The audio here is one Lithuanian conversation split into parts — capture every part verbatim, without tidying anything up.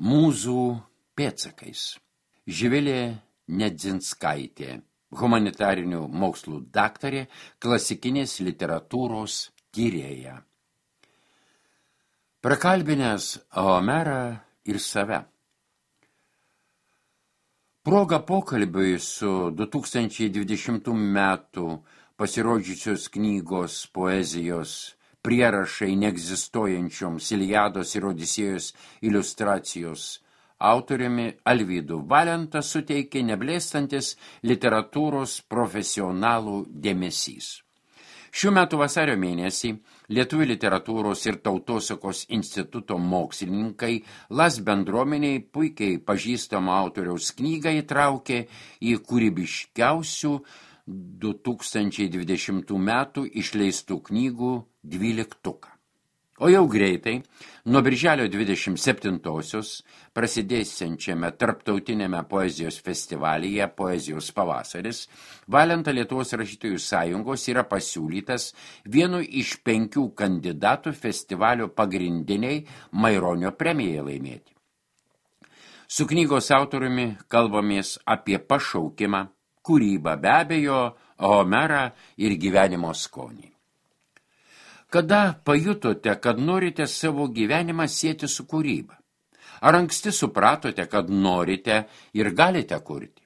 Mūzų pėdsakais. Živilė Nedzinskaitė, humanitarinių mokslų daktarė, klasikinės literatūros tyrėja. Prakalbinęs Homerą ir save. Proga pokalbiui su du tūkstančiai dvidešimtų metų pasirodžiusios knygos poezijos prierašai neegzistuojančioms Iliados ir Odisėjos iliustracijos autoriumi Alvydu Valenta suteikė neblėstantis literatūros profesionalų dėmesys. Šių metų vasario mėnesį Lietuvių literatūros ir tautosakos instituto mokslininkai Las bendruomeniai puikiai pažįstamo autoriaus knygą įtraukė į kūrybiškiausių du tūkstančiai dvidešimtų metų išleistų knygų dvyliktuką. O jau greitai, nuo birželio dvidešimt septintosios, prasidėsiančiame tarptautinėme poezijos festivalyje Poezijos pavasaris, Valenta Lietuvos rašytojų sąjungos yra pasiūlytas vienu iš penkių kandidatų festivalio pagrindiniai Maironio premijai laimėti. Su knygos autoriumi kalbamės apie pašaukimą, kūrybą, be abejo, Homerą ir gyvenimo skonį. Kada pajutote, kad norite savo gyvenimą sieti su kūryba? Ar anksti supratote, kad norite ir galite kurti?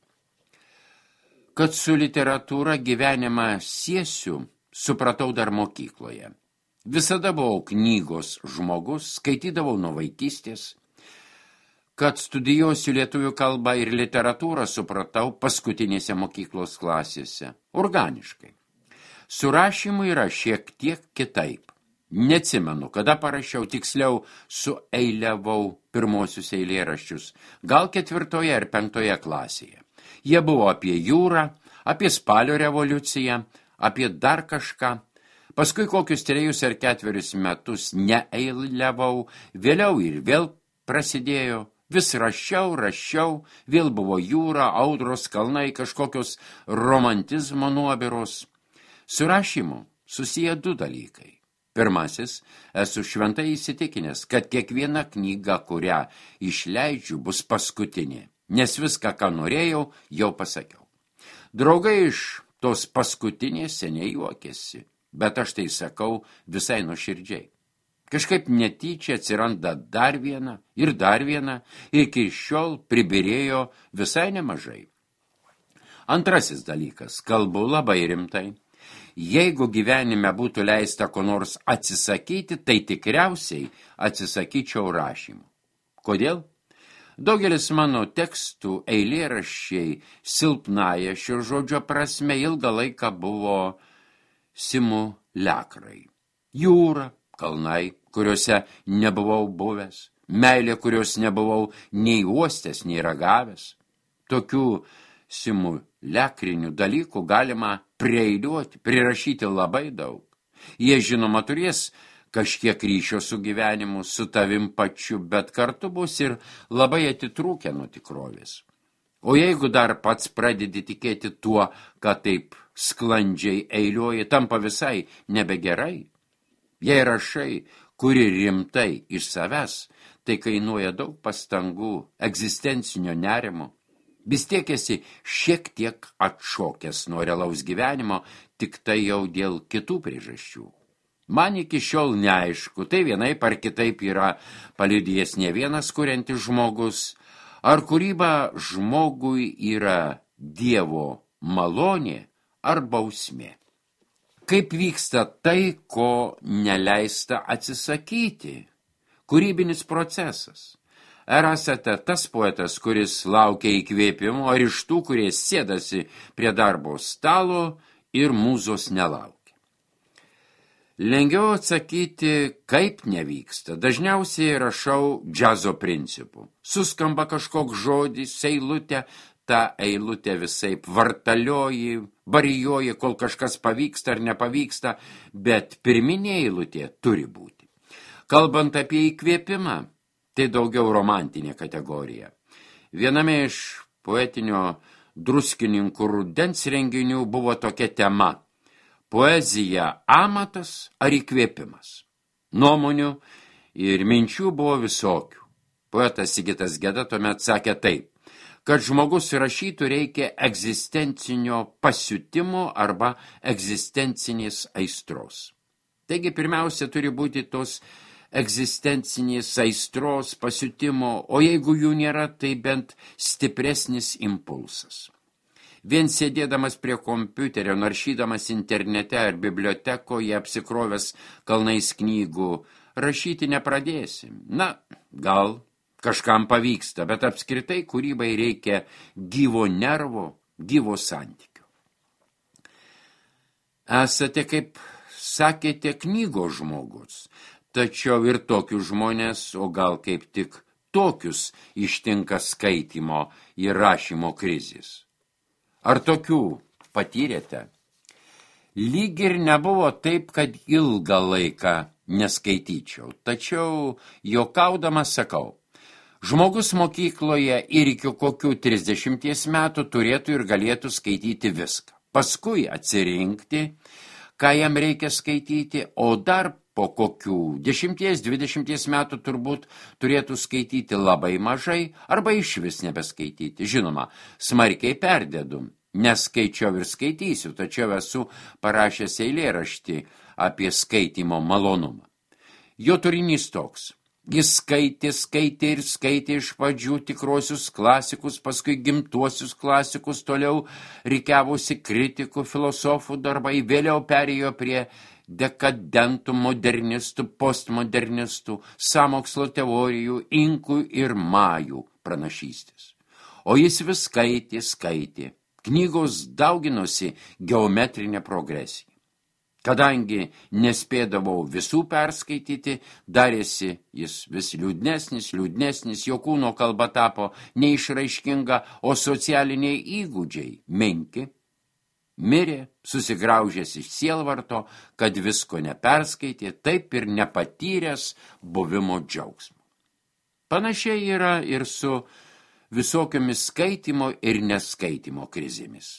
Kad su literatūra gyvenimą siesiu, supratau dar mokykloje. Visada buvau knygos žmogus, skaitydavau nuo vaikystės. Kad studijuosiu lietuvių kalbą ir literatūrą, supratau paskutinėse mokyklos klasėse, organiškai. Su rašymu yra šiek tiek kitaip. Neatsimenu, kada parašiau, tiksliau sueiliavau pirmosius eilėraščius, gal ketvirtoje ar penktoje klasėje. Jie buvo apie jūrą, apie spalio revoliuciją, apie dar kažką. Paskui kokius trejus ar ketverius metus neeiliavau, vėliau ir vėl prasidėjo. Vis rašiau, rašiau, vėl buvo jūra, audros, kalnai, kažkokios romantizmo nuobiros. Su rašymu susiję du dalykai. Pirmasis, esu šventai įsitikinęs, kad kiekviena knyga, kurią išleidžiu, bus paskutinė, nes viską, ką norėjau, jau pasakiau. Draugai iš tos paskutinės seniai juokėsi, bet aš tai sakau visai nuoširdžiai. Kažkaip netyčia atsiranda dar viena ir dar viena, iki šiol pribirėjo visai nemažai. Antrasis dalykas, kalbu labai rimtai. Jeigu gyvenime būtų leista ko nors atsisakyti, tai tikriausiai atsisakyčiau rašymų. Kodėl? Daugelis mano tekstų eilėraščiai silpnąja šio žodžio prasme ilgą laiką buvo simuliakrai. Jūra, kalnai, kuriuose nebuvau buvęs, meilė, kurios nebuvau nei uostęs, nei ragavęs. Tokių simuliakrinių dalykų galima prieiliuoti, prirašyti labai daug. Jie, žinoma, turės kažkiek ryšio su gyvenimu, su tavim pačiu, bet kartu bus ir labai atitrūkę nuo tikrovės. O jeigu dar pats pradedi tikėti tuo, kad taip sklandžiai eiliuoji, tampa visai nebegerai. Jei rašai, kuri rimtai iš savęs, tai kainuoja daug pastangų, egzistencinio nerimo. Vis tiek esi šiek tiek atšokęs nuo realaus gyvenimo, tik tai jau dėl kitų priežasčių. Man iki šiol neaišku, tai vienaip ar kitaip yra paliudijęs ne vienas kuriantis žmogus, ar kūryba žmogui yra Dievo malonė ar bausmė. Kaip vyksta tai, ko neleista atsisakyti? Kūrybinis procesas. Ar esate tas poetas, kuris laukia įkvėpimo, ar iš tų, kurie sėdasi prie darbo stalo ir mūzos nelaukia? Lengviau atsakyti, kaip nevyksta. Dažniausiai rašau džiazo principu. Suskamba kažkoks žodis, eilutė, ta eilutė visaip vartalioji, varijuoji, kol kažkas pavyksta ar nepavyksta, bet pirminė eilutė turi būti. Kalbant apie įkvėpimą, tai daugiau romantinė kategorija. Viename iš poetinio druskininkų rudens renginių buvo tokia tema – poezija amatas ar įkvėpimas. Nuomonių ir minčių buvo visokių. Poetas Sigitas Geda tuomet sakė taip, kad žmogus rašytų reikia egzistencinio pasiutimo arba egzistencinės aistros. Taigi pirmiausia turi būti tos egzistencinės aistros, pasiutimo, o jeigu jų nėra, tai bent stipresnis impulsas. Vien sėdėdamas prie kompiuterio, naršydamas internete ar bibliotekoje, apsikrovęs kalnais knygų, rašyti nepradėsim. Na, gal kažkam pavyksta, bet apskritai kūrybai reikia gyvo nervo, gyvo santykių. Esate, kaip sakėte, knygos žmogus, tačiau ir tokius žmonės, o gal kaip tik tokius ištinka skaitymo ir rašymo krizės. Ar tokių patyrėte? Lyg ir nebuvo taip, kad ilgą laiką neskaityčiau, tačiau juokaudamas sakau, žmogus mokykloje ir iki kokių trisdešimties metų turėtų ir galėtų skaityti viską. Paskui atsirinkti, ką jam reikia skaityti, o dar po kokių dešimties, dvidešimties metų turbūt turėtų skaityti labai mažai arba išvis nebeskaityti. Žinoma, smarkiai perdėdu, neskaičiau ir skaitysiu, tačiau esu parašęs eilėraštį apie skaitymo malonumą. Jo turinys toks. Jis skaitė, skaitė ir skaitė iš pradžių tikrosius klasikus, paskui gimtuosius klasikus, toliau rikiavosi kritikų, filosofų darbai, vėliau perėjo prie dekadentų, modernistų, postmodernistų, sąmokslo teorijų, inkų ir majų pranašystės. O jis vis skaitė, skaitė. Knygos dauginosi geometrinė progresija. Kadangi nespėdavau visų perskaityti, darėsi jis vis liūdnesnis, liūdnesnis, jo kūno kalba tapo neišraiškinga, o socialiniai įgūdžiai menki. Mirė, susigraužęs iš sielvarto, kad visko neperskaitė, taip ir nepatyręs buvimo džiaugsmo. Panašiai yra ir su visokiomis skaitimo ir neskaitymo krizėmis.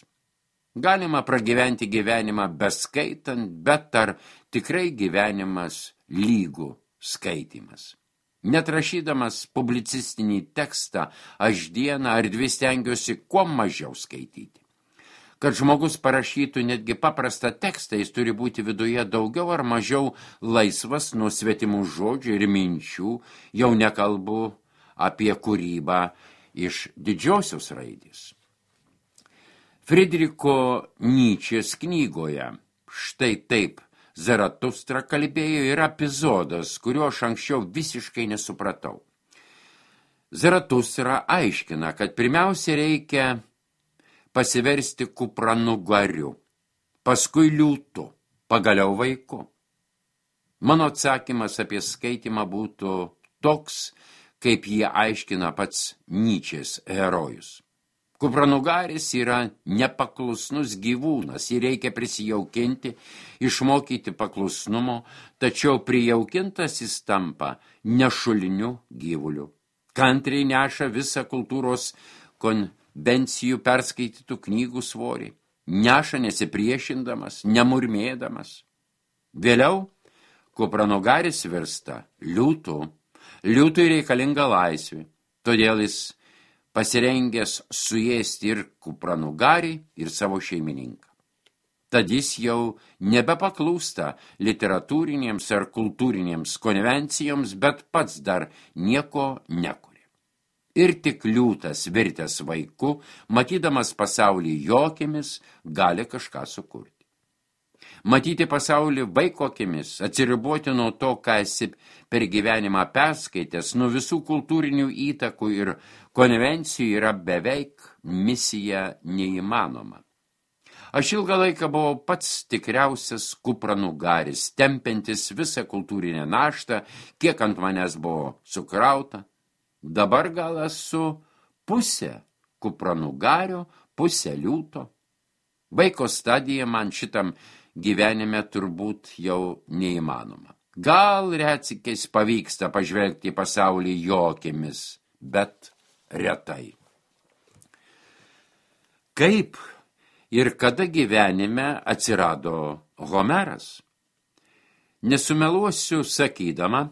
Galima pragyventi gyvenimą beskaitant, bet ar tikrai gyvenimas lygų skaitymas? Net rašydamas publicistinį tekstą, aš dieną ar dvi stengiuosi kuo mažiau skaityti. Kad žmogus parašytų netgi paprastą tekstą, jis turi būti viduje daugiau ar mažiau laisvas nuo svetimų žodžių ir minčių, jau nekalbu apie kūrybą iš didžiosios raidės. Friedricho Nyčės knygoje štai taip Zaratustra kalbėjo yra epizodas, kurio aš anksčiau visiškai nesupratau. Zaratustra aiškina, kad pirmiausia reikia pasiversti kupranugariu, paskui liūtu, pagaliau vaiku. Mano atsakymas apie skaitymą būtų toks, kaip jie aiškina pats Nyčės herojus. Kupranugaris yra nepaklusnus gyvūnas, jį reikia prisijaukinti, išmokyti paklusnumo, tačiau prijaukintas jis tampa nešuliniu gyvuliu. Kantriai neša visą kultūros konvencijų perskaitytų knygų svorį, neša nesipriešindamas, nemurmėdamas. Vėliau kupranugaris virsta liūtu, liūtui reikalinga laisvė, todėl jis pasirengęs suėsti ir kupranugarį, ir savo šeimininką. Tad jis jau nebepaklūsta literatūrinėms ar kultūrinėms konvencijoms, bet pats dar nieko nekuria. Ir tik liūtas virtęs vaiku, matydamas pasaulį jo akimis, gali kažką sukurti. Matyti pasaulį vaiko akimis, atsiriboti nuo to, ką esi per gyvenimą perskaitęs, nuo visų kultūrinių įtakų ir konvencijų yra beveik misija neįmanoma. Aš ilgą laiką buvau pats tikriausias kupranugaris, tempiantis visą kultūrinę naštą, kiek ant manęs buvo sukrauta. Dabar gal esu pusė kupranugario, pusė liūto. Vaiko stadija man šitam gyvenime turbūt jau neįmanoma. Gal retsykiais pavyksta pažvelgti į pasaulį jo akimis, bet retai. Kaip ir kada gyvenime atsirado Homeras? Nesumeluosiu sakydama,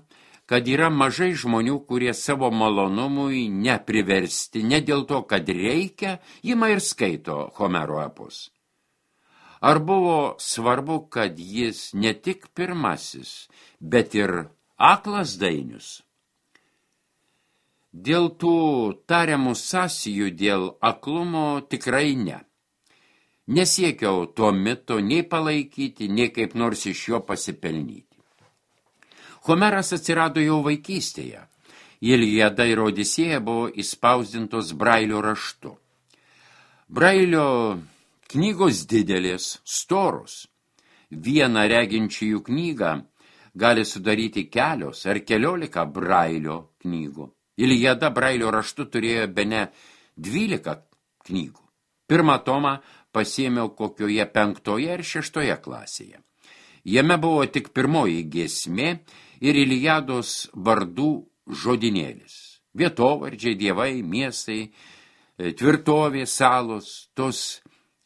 kad yra mažai žmonių, kurie savo malonumui nepriversti, ne dėl to, kad reikia, ima ir skaito Homero epus. Ar buvo svarbu, kad jis ne tik pirmasis, bet ir aklas dainius? Dėl tų tariamų sąsijų dėl aklumo tikrai ne. Nesiekiau to mito nei palaikyti, nei kaip nors iš jo pasipelnyti. Homeras atsirado jau vaikystėje. Iliada ir Odisėja buvo įspausdintos Brailio raštu. Brailio knygos didelės, storos. Vieną reginčiųjų knygą gali sudaryti kelios ar keliolika Brailio knygų. Iliada Brailio raštu turėjo bene dvylika knygų. Pirmą tomą pasiėmiau kokioje penktoje ir šeštoje klasėje. Jame buvo tik pirmoji giesmė ir Iliados vardų žodinėlis. Vietovardžiai, dievai, miestai, tvirtovė, salos, tos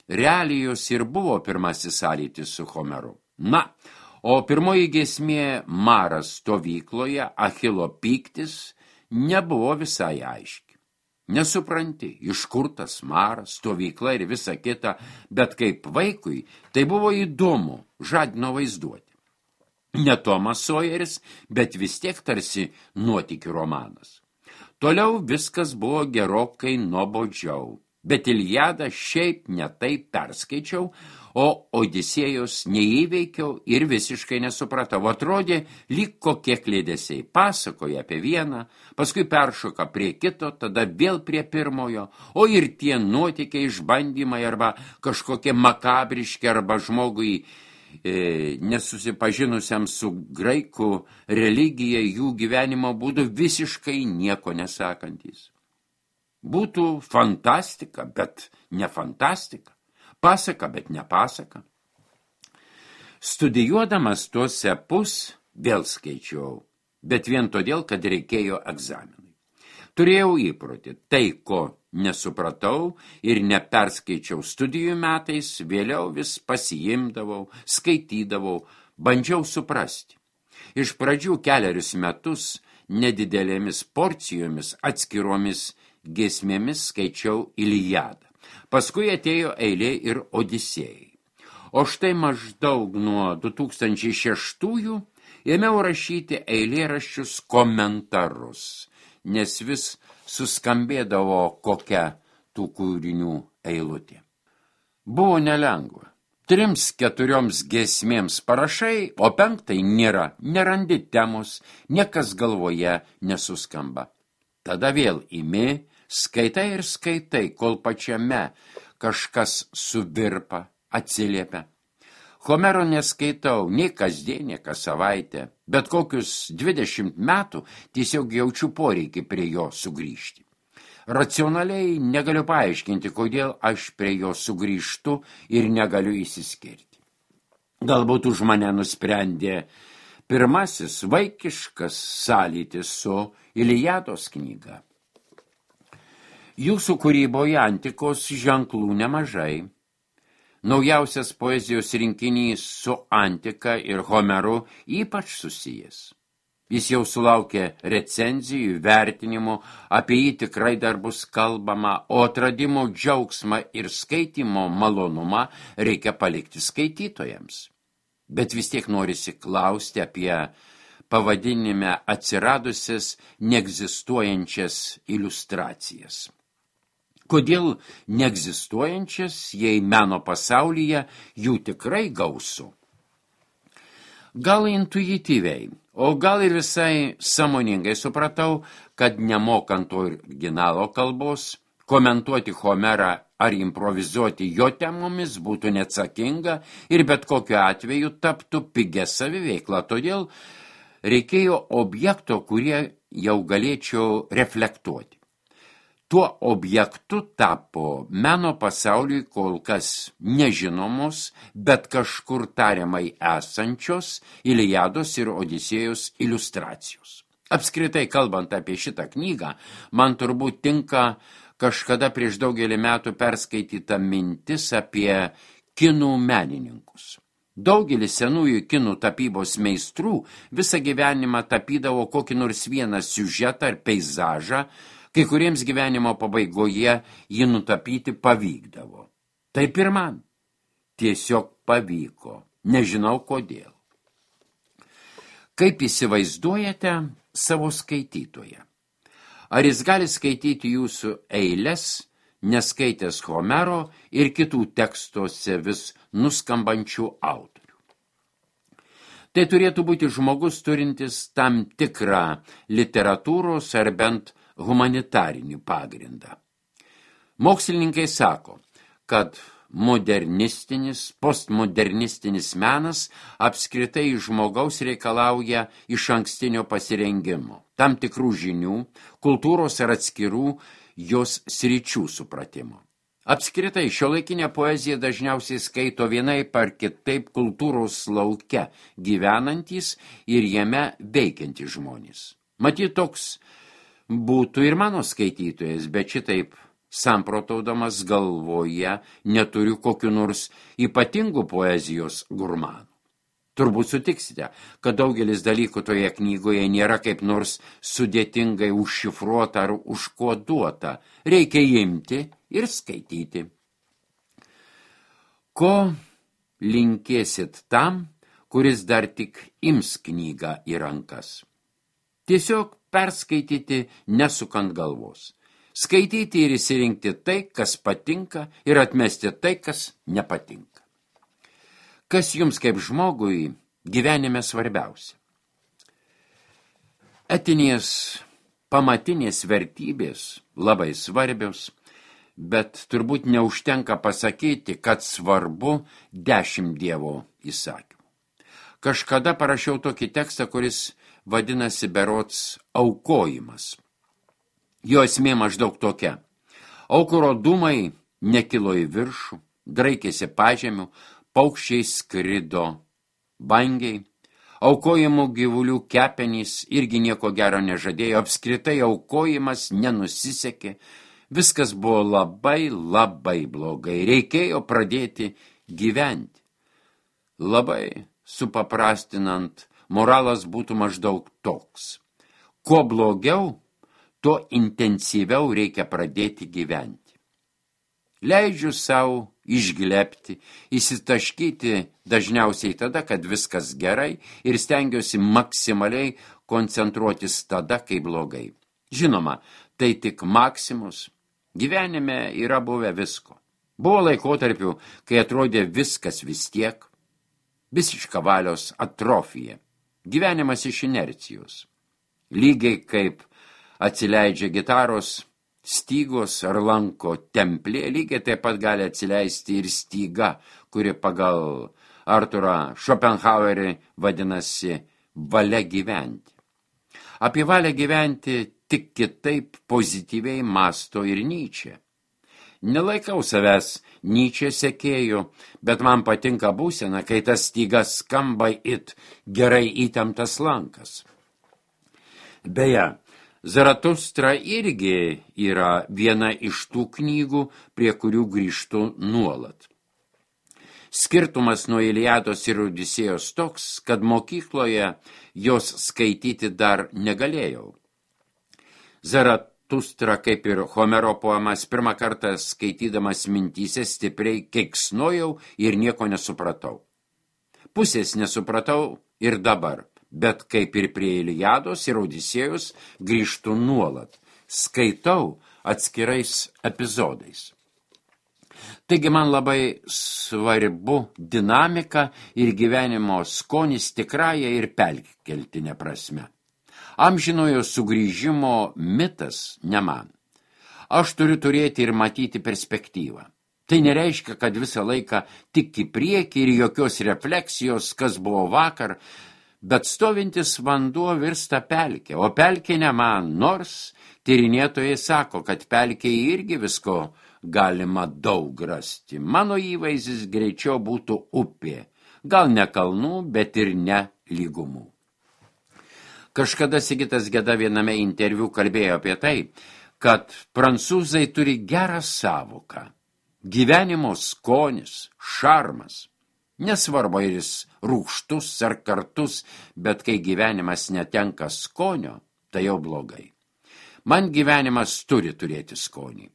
realijos ir buvo pirmasis sąlytis su Homeru. Na, o pirmoji giesmė Maras stovykloje, Achilo pyktis, nebuvo visai aiški. Nesupranti, iš kur tas Maras, stovykla ir visa kita, bet kaip vaikui tai buvo įdomu, žadino vaizduoti. Ne Tomas Sojeris, bet vis tiek tarsi nuotykių romanas. Toliau viskas buvo gerokai nuobodžiau, bet Iliadą šiaip ne taip perskaičiau, o Odisėjos neįveikiau ir visiškai nesupratau. Atrodė, lyg kokie klėdesiai. Pasakoja apie vieną, paskui peršoka prie kito, tada vėl prie pirmojo, o ir tie nuotykiai, išbandymai arba kažkokie makabriški arba žmogui e, nesusipažinusiam su graikų religija, jų gyvenimo būdu visiškai nieko nesakantys. Būtų fantastika, bet ne fantastika. Pasaka, bet ne pasaka. Studijuodamas tuos epus vėl skaičiau, bet vien todėl, kad reikėjo egzaminui. Turėjau įprotį, tai, ko nesupratau ir neperskaičiau studijų metais, vėliau vis pasiimdavau, skaitydavau, bandžiau suprasti. Iš pradžių kelerius metus nedidelėmis porcijomis atskiromis giesmėmis skaičiau Iliadą. Paskui atėjo eilė ir Odisėjai. O štai maždaug nuo du tūkstančiai šeštųjų ėmiau rašyti eilėraščius komentarus, nes vis suskambėdavo kokia tų kūrinių eilutė. Buvo nelengva. Trims keturioms giesmėms parašai, o penktai nėra, nerandi temos, niekas galvoje nesuskamba. Tada vėl imi, skaitai ir skaitai, kol pačiame kažkas suvirpa, atsiliepia. Homero neskaitau nei kasdien, nei kas savaitę, bet kokius dvidešimt metų tiesiog jaučiu poreikį prie jo sugrįžti. Racionaliai negaliu paaiškinti, kodėl aš prie jo sugrįžtu ir negaliu įsiskirti. Galbūt už mane nusprendė pirmasis vaikiškas sąlytis su Iliados knyga. Jūsų kūryboje antikos ženklų nemažai. Naujausias poezijos rinkinys su antika ir Homeru ypač susijęs. Jis jau sulaukė recenzijų, vertinimų, apie jį tikrai dar bus kalbama, o atradimo džiaugsmą ir skaitymo malonumą reikia palikti skaitytojams. Bet vis tiek norisi klausti apie pavadinime atsiradusias neegzistuojančias iliustracijas. Kodėl neegzistuojančias, jei meno pasaulyje jų tikrai gausu? Gal intuityviai, o gal ir visai sąmoningai supratau, kad nemokant originalo kalbos, komentuoti Homerą ar improvizuoti jo temomis būtų neatsakinga ir bet kokiu atveju taptų pigia saviveikla. Todėl reikėjo objekto, kurie jau galėčiau reflektuoti. Tuo objektu tapo meno pasauliui kol kas nežinomos, bet kažkur tariamai esančios Iliados ir Odisėjos iliustracijos. Apskritai kalbant apie šitą knygą, man turbūt tinka kažkada prieš daugelį metų perskaityta mintis apie kinų menininkus. Daugelis senųjų kinų tapybos meistrų visą gyvenimą tapydavo kokį nors vieną siužetą ar peizažą, kai kuriems gyvenimo pabaigoje jį nutapyti pavykdavo. Taip ir man. Tiesiog pavyko. Nežinau kodėl. Kaip įsivaizduojate savo skaitytoją? Ar jis gali skaityti jūsų eiles, neskaitęs Homero ir kitų tekstuose vis nuskambančių autorių? Tai turėtų būti žmogus turintis tam tikrą literatūros ar bent humanitarinį pagrindą. Mokslininkai sako, kad modernistinis, postmodernistinis menas apskritai iš žmogaus reikalauja išankstinio pasirengimo, tam tikrų žinių, kultūros ar atskirų jos sričių supratimo. Apskritai, šiuolaikinė poezija dažniausiai skaito vienaip ar kitaip kultūros lauke gyvenantys ir jame veikiantys žmonės. Matyt, toks būtų ir mano skaitytojas, bet šitaip samprotaudamas galvoje neturiu kokiu nors ypatingų poezijos gurmanų. Turbūt sutiksite, kad daugelis dalykų toje knygoje nėra kaip nors sudėtingai užšifruota ar užkoduota. Reikia imti ir skaityti. Ko linkėsit tam, kuris dar tik ims knygą į rankas? Tiesiog perskaityti nesukant galvos. Skaityti ir įsirinkti tai, kas patinka, ir atmesti tai, kas nepatinka. Kas jums kaip žmogui gyvenime svarbiausia? Etinės pamatinės vertybės labai svarbios, bet turbūt neužtenka pasakyti, kad svarbu dešimt Dievo įsakymų. Kažkada parašiau tokį tekstą, kuris vadinasi berods aukojimas. Jo esmė maždaug tokia. Aukuro dūmai nekilo į viršų, draikėsi pažemių, paukščiai skrido bangiai, aukojimų gyvulių kepenys irgi nieko gero nežadėjo, apskritai aukojimas nenusisekė, viskas buvo labai, labai blogai, reikėjo pradėti gyventi. Labai supaprastinant, moralas būtų maždaug toks. Kuo blogiau, tuo intensyviau reikia pradėti gyventi. Leidžiu savo išglebti, įsitaškyti dažniausiai tada, kad viskas gerai ir stengiuosi maksimaliai koncentruotis tada, kai blogai. Žinoma, tai tik maksimus. Gyvenime yra buvę visko. Buvo laikotarpių, kai atrodė viskas vis tiek, visiška valios atrofija. Gyvenimas iš inercijos. Lygiai kaip atsileidžia gitaros stygos ar lanko templė, lygiai taip pat gali atsileisti ir styga, kuri pagal Arturą Schopenhauerį vadinasi valia gyventi. Apie valią gyventi tik kitaip pozityviai mąsto ir Nyčė. Nelaikau savęs Nyčė sekėjų, bet man patinka būsena, kai tas stygas skamba it gerai įtemptas lankas. Beje, Zaratustra irgi yra viena iš tų knygų, prie kurių grįžtu nuolat. Skirtumas nuo Iliados ir Odisėjos toks, kad mokykloje jos skaityti dar negalėjau. Zaratustra, kaip ir Homero poemas, pirmą kartą skaitydamas mintyse stipriai keiksnojau ir nieko nesupratau. Pusės nesupratau ir dabar. Bet kaip ir prie Iliados ir Odisėjos grįžtu nuolat, skaitau atskirais epizodais. Taigi man labai svarbu dinamika ir gyvenimo skonis tikrąją ir perkeltinę prasme. Amžinojo sugrįžimo mitas ne man. Aš turiu turėti ir matyti perspektyvą. Tai nereiškia, kad visą laiką tik į priekį ir jokios refleksijos, kas buvo vakar, bet stovintis vanduo virsta pelkė, o pelkė ne man, nors tyrinėtojai sako, kad pelkėje irgi visko galima daug rasti. Mano įvaizdis greičiau būtų upė, gal ne kalnų, bet ir ne lygumų. Kažkada Sigitas Geda viename interviu kalbėjo apie tai, kad prancūzai turi gerą savoką, gyvenimo skonis, šarmas. Nesvarbu, ar jis rūgštus ar kartus, bet kai gyvenimas netenka skonio, tai jau blogai. Man gyvenimas turi turėti skonį.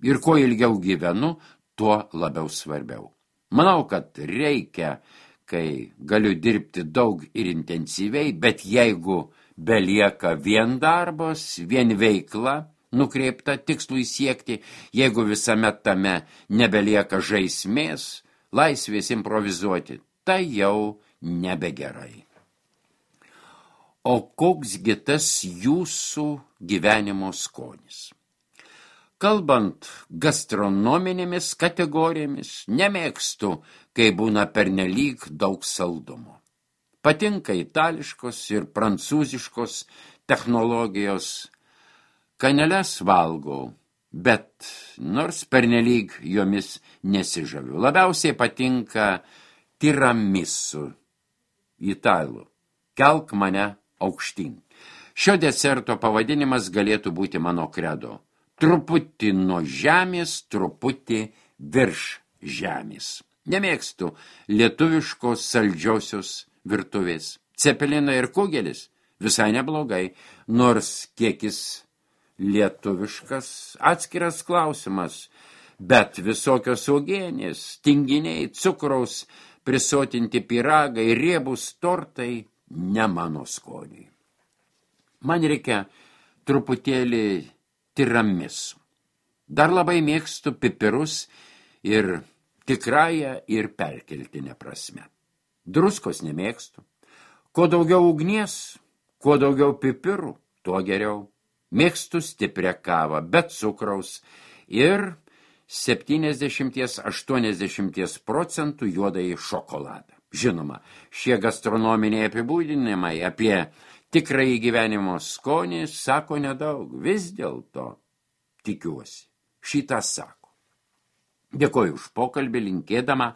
Ir kuo ilgiau gyvenu, tuo labiau svarbiau. Manau, kad reikia, kai galiu dirbti daug ir intensyviai, bet jeigu belieka vien darbas, vien veikla, nukreipta tikslui siekti, jeigu visame tame nebelieka žaismės, laisvės improvizuoti, tai jau nebegerai. O koksgi tas jūsų gyvenimo skonis? Kalbant gastronominėmis kategorijomis, nemėgstu, kai būna pernelyg daug saldumo. Patinka itališkos ir prancūziškos technologijos, kaneles valgau, bet nors pernelyg jomis nesižaviu. Labiausiai patinka tiramisu italų. Kelk mane aukštyn. Šio deserto pavadinimas galėtų būti mano kredo. Truputį nuo žemės, truputį virš žemės. Nemėgstu lietuviškos saldžiosios virtuvės. Cepelina ir kugelis visai neblogai, nors kiekis lietuviškas atskiras klausimas, bet visokios uogienės, tinginiai, cukraus, prisotinti pyragai, riebūs tortai ne mano skoniui. Man reikia truputėlį tiramisu. Dar labai mėgstu pipirus ir tikrąją ir perkeltinę prasme. Druskos nemėgstu. Kuo daugiau ugnies, kuo daugiau pipirų, tuo geriau. Mėgstu stiprią kavą, bet cukraus ir septyniasdešimt iki aštuoniasdešimt procentų juodąjį šokoladą. Žinoma, šie gastronominiai apibūdinimai apie tikrąjį gyvenimo skonį sako nedaug. Vis dėlto, tikiuosi, šitą sako. Dėkoju už pokalbį, linkėdama,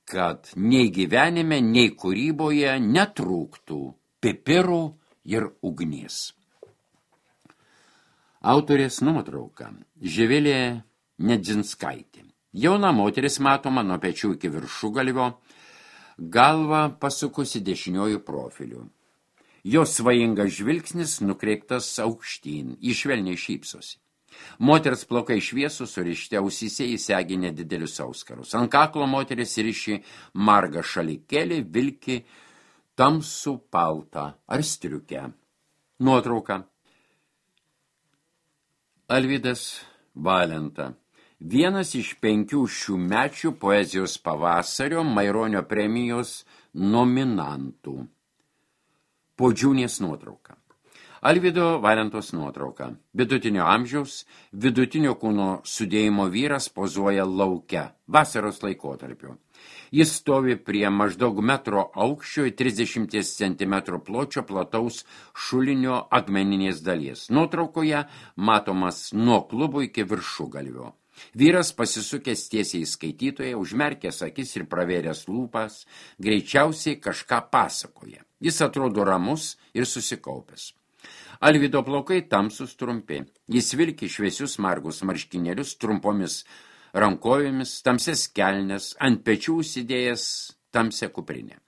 kad nei gyvenime, nei kūryboje netrūktų pipirų ir ugnies. Autorės nuotrauka Živilė Nedzinskaitė. Jauna moteris matoma nuo pečių iki viršugalvio, galva pasukusi dešiniuoju profiliu. Jos svajingas žvilgsnis nukreiptas aukštyn, ji švelniai šypsosi. Moters plaukai šviesūs, surišti ausyse įsegi nedidelius auskarus. Ant kaklo moteris riši margą šalikėlį, vilki tamsų paltą ar striukę. Nuotrauka. Alvydas Valenta. Vienas iš penkių šiųmečių poezijos pavasario Maironio premijos nominantų. Podžiūnės nuotrauka. Alvydo Valentos nuotrauka. Vidutinio amžiaus, vidutinio kūno sudėjimo vyras pozuoja lauke, vasaros laikotarpiu. Jis stovi prie maždaug metro aukščio ir trisdešimt centimetrų pločio plataus šulinio akmeninės dalies. Nuotraukoje matomas nuo klubo iki viršugalvio. Vyras pasisukęs tiesiai į skaitytoją, užmerkęs akis ir pravėręs lūpas, greičiausiai kažką pasakoja. Jis atrodo ramus ir susikaupęs. Alvydo plaukai tamsus trumpi. Jis vilki šviesius margus marškinėlius trumpomis rankojomis, tamsias kelnes, ant pečių užsidėjęs tamsią kuprinę.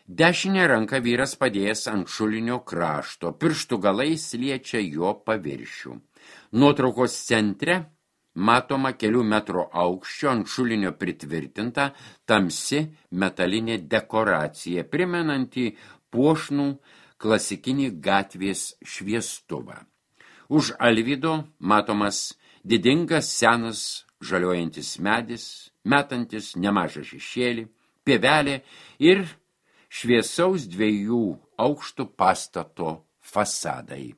Dešinę ranką vyras padėjęs ant šulinio krašto, pirštų galais liečia jo paviršių. Nuotraukos centre matoma kelių metrų aukščio ant šulinio pritvirtinta tamsi metalinė dekoracija, primenanti puošnų klasikinį gatvės šviestuvą. Už Alvydo matomas didingas senas žaliuojantis medis, metantis nemažą šešėlį, pievelė ir šviesaus dviejų aukštų pastato fasadai.